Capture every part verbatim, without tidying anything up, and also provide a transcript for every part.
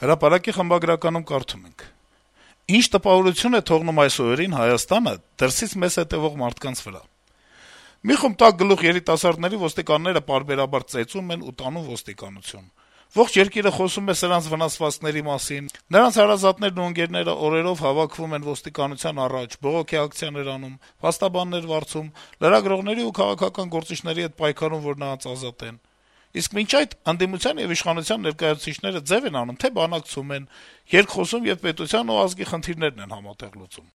Հրապարակի խմբագրականում կարդում ենք. - «Ինչ տպավորություն է թողնում այս օրերին Հայաստանը դրսից մեզ հետեւող մարդկանց վրա: Մի խումբ տաք գլուխ երիտասարդների ոստիկանները պարբերաբար ծեծում են ու տանում ոստիկանություն: Ողջ երկիրը խոսում է սրանց վնասվածքների մասին, նրանց հարազատներն ու ընկերները օրերով հավաքվում են ոստիկանության առաջ, բողոքի ակցիաներ անում, փաստաբաններ վարձում, լրագրողների ու քաղաքական գործիչների հետ պայքարում, որ նրանց ազատեն: Իսկ մինչ այդ ընդդիմության եւ իշխանության ներկայացուցիչները ձեւ են անում, թե բանակցում են, երկխոսում եւ պետության ու ազգի խնդիրներն են համատեղ լուծում»: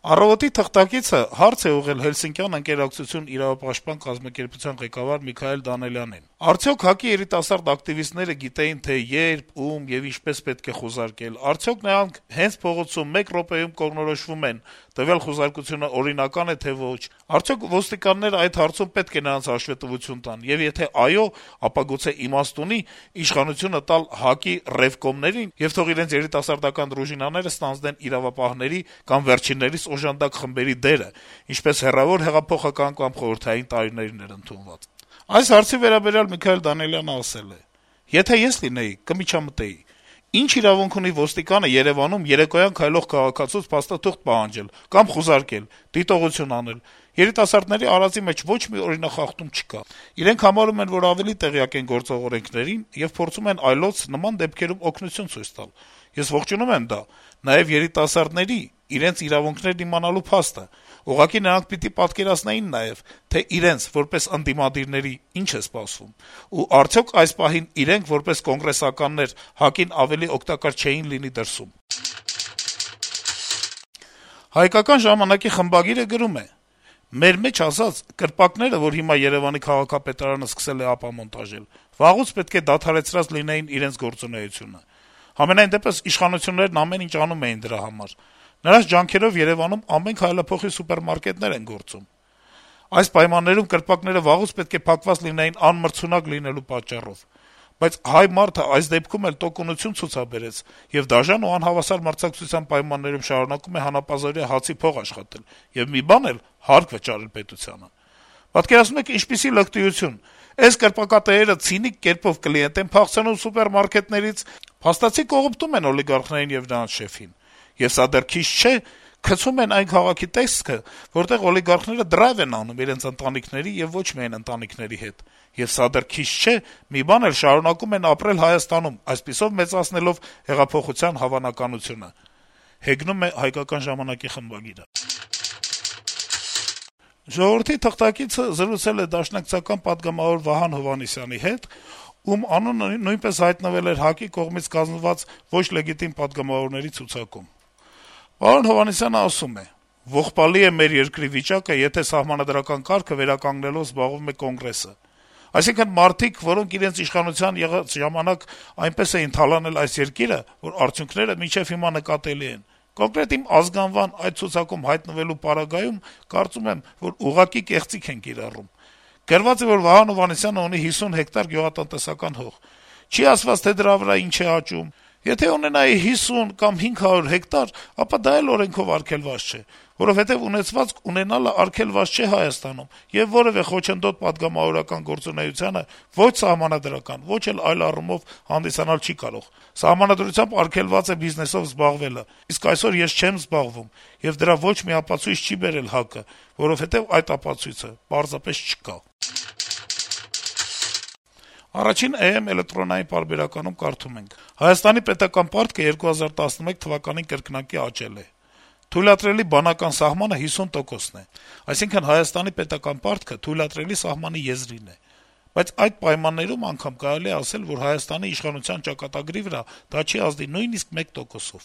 «Առավոտ»-ի թղթակիցը հարց է ուղղել Հելսինկյան ընկերակցություն իրավապաշտպան կազմակերպության ղեկավար Միքայել Դանիելյանին. - «Արդյոք ՀԱԿ-ի երիտասարդ ակտիվիստները գիտեին, թե երբ, ում եւ ինչպես պետք է խուզարկել: Արդյոք նրանք հենց փողոցում մեկ րոպեում կողմնորոշվում են` տվյալ խուզարկությունը օրինակա՞ն է, թե ոչ: Արդյոք ոստիկանները այդ հարցում պետք է նրանց հաշվետվություն տան, եւ եթե այո, ապա գուցե իմաստ ունի իշխանությունը տալ ՀԱԿ-ի ռեվկոմներին եւ թող իրենց երիտասարդական դրուժինաները ստանձնեն իրավապահների կամ վերջիններիս օժանդակ խմբերի դերը, ինչպես հեռավոր հեղափոխական կամ խորհրդային տարիներին էր ընդունված»: Այս հարցի վերաբերյալ Միքայել Դանիելյանը ասել է. - «Եթե ես լինեի, կմիջամտեի: Ինչ իրավունք ունի ոստիկանը Երեւանում երեկոյան քայլող քաղաքացուց փաստաթուղթ պահանջել կամ խուզարկել, դիտողություն անել: Երիտասարդների արածի մեջ ոչ մի օրինախախտում չկա: Իրենք համարում են, որ ավելի տեղյակ են գործող օրենքներին եւ փորձում են այլոց նման դեպքերում օգնություն ցույց տալ: Ես ողջունում եմ դա, նաեւ երիտասարդների, իրենց իրավունքներն իմանալու փաստը: Ուղղակի նրանք պիտի պատկերացնեին նաեւ, թե իրենց, որպես ընդդիմադիրների, ինչ է սպասվում: Ու արդյոք այս պահին իրենք, որպես կոնգրեսականներ, ՀԱԿ-ին ավելի օգտակար չէին լինի դրսում»: «Հայկական ժամանակ»-ի խմբագիրը գրում է. - «Մեր մեջ ասած, կրպակները, որ հիմա Երեւանի քաղաքապետարանը սկսել է ապամոնտաժել, վաղուց պետք է դադարեցրած լինեին իրենց գործունեությունը: Համենայն դեպս իշխանություններն ամեն ինչ անում էին դրա համար: Նրանց ջանքերով Երեւանում ամեն քայլափոխի սուպերմարկետներ են գործում: Այս պայմաններում կրպակները վաղուց պետք է փակված լինեին անմրցունակ լինելու պատճառով: Բայց հայ մարդը այս դեպքում էլ տոկունություն ցուցաբերեց եւ դաժան ու անհավասար մրցակցության պայմաններում շարունակում է հանապազօրյա հացի փող աշխատել եւ մի բան էլ` հարկ վճարել պետությանը: Պատկերացնո՞ւմ եք ինչպիսի լկտիություն: Էս կրպակատերերը ցինիկ կերպով կլիենտ են փախցնում սուպերմարկետներից, փաստացի կողոպտում են օլիգարխներին եւ նրանց շեֆին: Եվ սա դեռ քիչ չէ, գցում են այն քաղաքի տեսքը, որտեղ օլիգարխները դրայվ են անում իրենց ընտանիքների եւ ոչ միայն ընտանիքների հետ: Եվ սա դեռ քիչ չէ, մի բան էլ շարունակում են ապրել Հայաստանում, այսպիսով մեծացնելով հեղափոխության հավանականությունը»: «Ժողովուրդ» թերթի խմբագիրը թղթակիցը զրուցել է դաշնակցական պատգամավոր Վահան Հովհաննիսյանի հետ, ում անունը նույնպես հայտնվել էր ՀԱԿ-ի կողմից կազմված ոչ լեգիտիմ պատգամավորների ցուցակում: Հովհաննիսյանը ասում է. - «Ողբալի է մեր երկրի վիճակը, եթե սահմանադրական կարգը վերականգնելով զբաղվում է Կոնգրեսը: Այսինքն` մարդիկ, որոնք իրենց իշխանության եղած ժամանակ այնպես էին թալանել այս երկիրը, որ արդյունքները մինչեւ հիմա նկատելի են: Կոնկրետ իմ ազգանվան այդ ցուցակում հայտնվելու պարագայում, կարծում եմ, որ ուղղակի կեղծիք են կիրառում: Գրված է, որ Վահան Հովհաննիսյանը ունի հիսուն հեկտար գյուղատնտեսական հող: Չի ասված, թե դրա վրա ինչ է աճում: Եթե ունենայի հիսուն կամ հինգ հարյուր հեկտար, ապա դա էլ օրենքով արգելված չէ, որովհետեւ ունեցվածք ունենալը արգելված չէ Հայաստանում, եւ որեւէ խոչընդոտ պատգամավորական գործունեությանը ոչ սահմանադրական, ոչ էլ այլ առումով հանդիսանալ չի կարող: Սահմանադրությամբ արգելված է բիզնեսով զբաղվելը, իսկ այսօր ես չեմ զբաղվում, եւ դրա ոչ մի ապացույց չի բերել ՀԱԿ-ը, որովհետեւ այդ ապացույցը պարզապես չկա»: «Առաջին Է.Էմ» էլեկտրոնային պարբերականում կարդում ենք. - «Հայաստանի պետական պարտքը երկու հազար տասնմեկ թվականին կրկնակի աճել է: Թույլատրելի բանական սահմանը հիսուն տոկոսն է: Այսինքն` Հայաստանի պետական պարտքը թույլատրելի սահմանի եզրին է: Բայց այդ պայմաններում անգամ կարելի է ասել, որ Հայաստանի իշխանության ճակատագրի վրա դա չի ազդի նույնիսկ մեկ տոկոսով: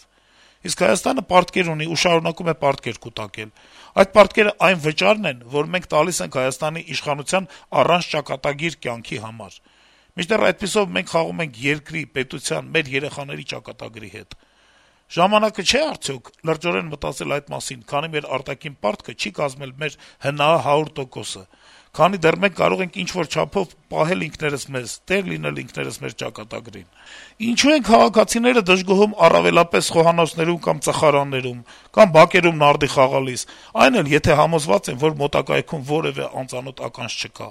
Իսկ Հայաստանը պարտքեր ունի ու շարունակում է պարտքեր կուտակել: Այդ պարտքերը այն վճարն են, որ մենք տալիս ենք Հայաստանի իշխանության առանց ճակատագիր կյանքի համար: Մինչդեռ այդպիսով մենք խաղում ենք երկրի, պետության, մեր երեխաների ճակատագրի հետ: Ժամանակը չէ՞ արդյոք լրջորեն մտածել այդ մասին, քանի մեր արտաքին պարտքը չի կազմել մեր ՀՆԱ հարյուր տոկոսը, քանի դեռ մենք կարող ենք ինչ-որ չափով պահել ինքներս մեզ, տեր լինել ինքներս մեր ճակատագրին: Ինչո՞ւ են քաղաքացիները դժգոհում առավելապես խոհանոցներում կամ ծխարաններում, կամ բակերում նարդի խաղալիս, այն էլ եթե համոզված են, որ մոտակայքում որեւէ անծանոթ ականջ չկա»: